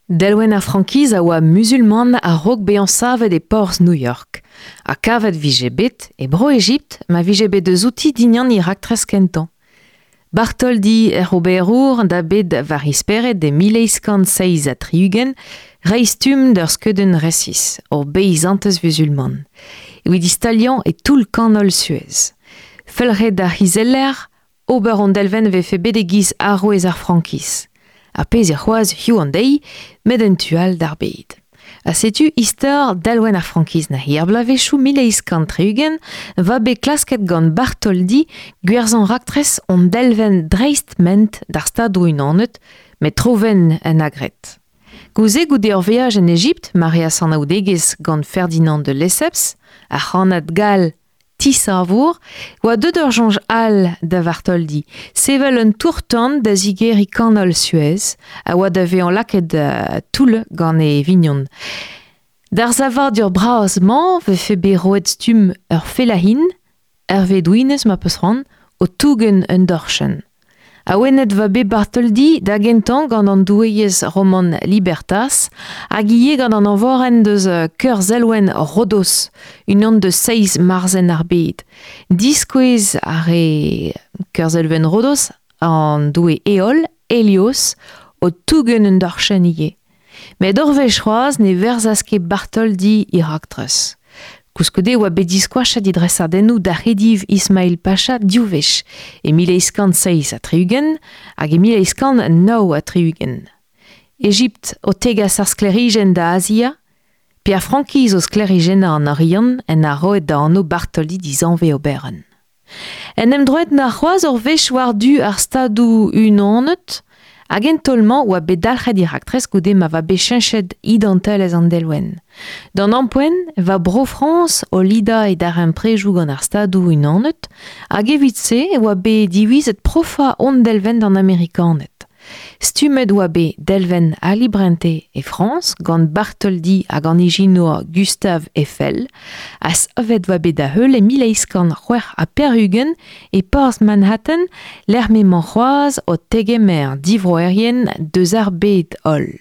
Delwenn ar frankiz a oa muzulman a-raok bezañ savet e porzh New York. Ha kavet 'vije bet e Bro-Ejipt ma vije bet eus outi dindan he raktres kentañ. Bartholdi hec'h oberour da bet war he spered e 1867 reiñ stumm d'ur skeudenn resis, ur beizantez vuzulman. Evit staliañ e toull kanol Suez. Felc'het d'ar c'hizeller Ober an delvenn 'vefe bet e-giz arouez ar frankiz. Ar pezh eo c'hoazh hiziv an deiz, met en tu all d'ar bed. Ha setu istor delwenn ar frankiz neuze. Er bloavezhioù 1860 va bet klasket gant Bartholdi gwerzhañ raktres hon delvenn dreist-ment d'ar Stadoù-Unanet, met tro-wenn en agret. Gouze goude ur veaj en Ejipt ma reas anaoudegezh gant Ferdinand de Lesseps, ar c'hannad gall Tisavour oa deuet ur soñj all da Vartoldi, sevel un tour-tan da zigeriñ kanol Suez, a oa da vezañ lakaet toull gant e vignon. D'ar savadur bras-mañ 'vefe bet roet stumm ur fellahin, ur vedouinez ma 'peus c'hoant, o tougen un dorchenn. Awenet va bet Bartholdi da gentañ gant an doueez roman Libertas hag ivez gant an eñvorenn deus Keurzelwenn Rodos, unan deus seizh marzhenn ar bed. Diskouez a rae Keurzelwenn Rodos an doue Heol, Helios, o tougen un dorchenn ivez. Met ur wech c'hoazh ne verzas ket Bartholdi e raktres. Koulskoude e oa bet diskoachet e dresadennoù d'ar c'hediv Ismail Pacha div wech, e 1867 hag e 1869. Egipt o tegas ar sklêrijenn da Azia, pe ar frankiz o sklêrijennañ an Oriant en a roet da anv Bartholdi dizanvez oberenn. En em droet 'na c'hoazh ur wech war-du ar Stadoù-Unanet hag en taol-mañ oa bet dalc'het e raktres goude ma oa bet cheñchet identelezh an delwenn. D'an ampoent e oa Bro-Frañs o lidañ e darempredoù gant ar Stadoù-Unanet hag evit-se e oa bet divizet profañ hon delwenn d'an Amerikaned. Stummet oa bet delwenn Ali Brente e Frañs gant Bartholdi hag an ijinour Gustave Eiffel ha savet oa bet da-heul e 1886 e porzh Manhattan lec'h m'emañ c'hoazh o tegemer divroerien deus ar bed-holl.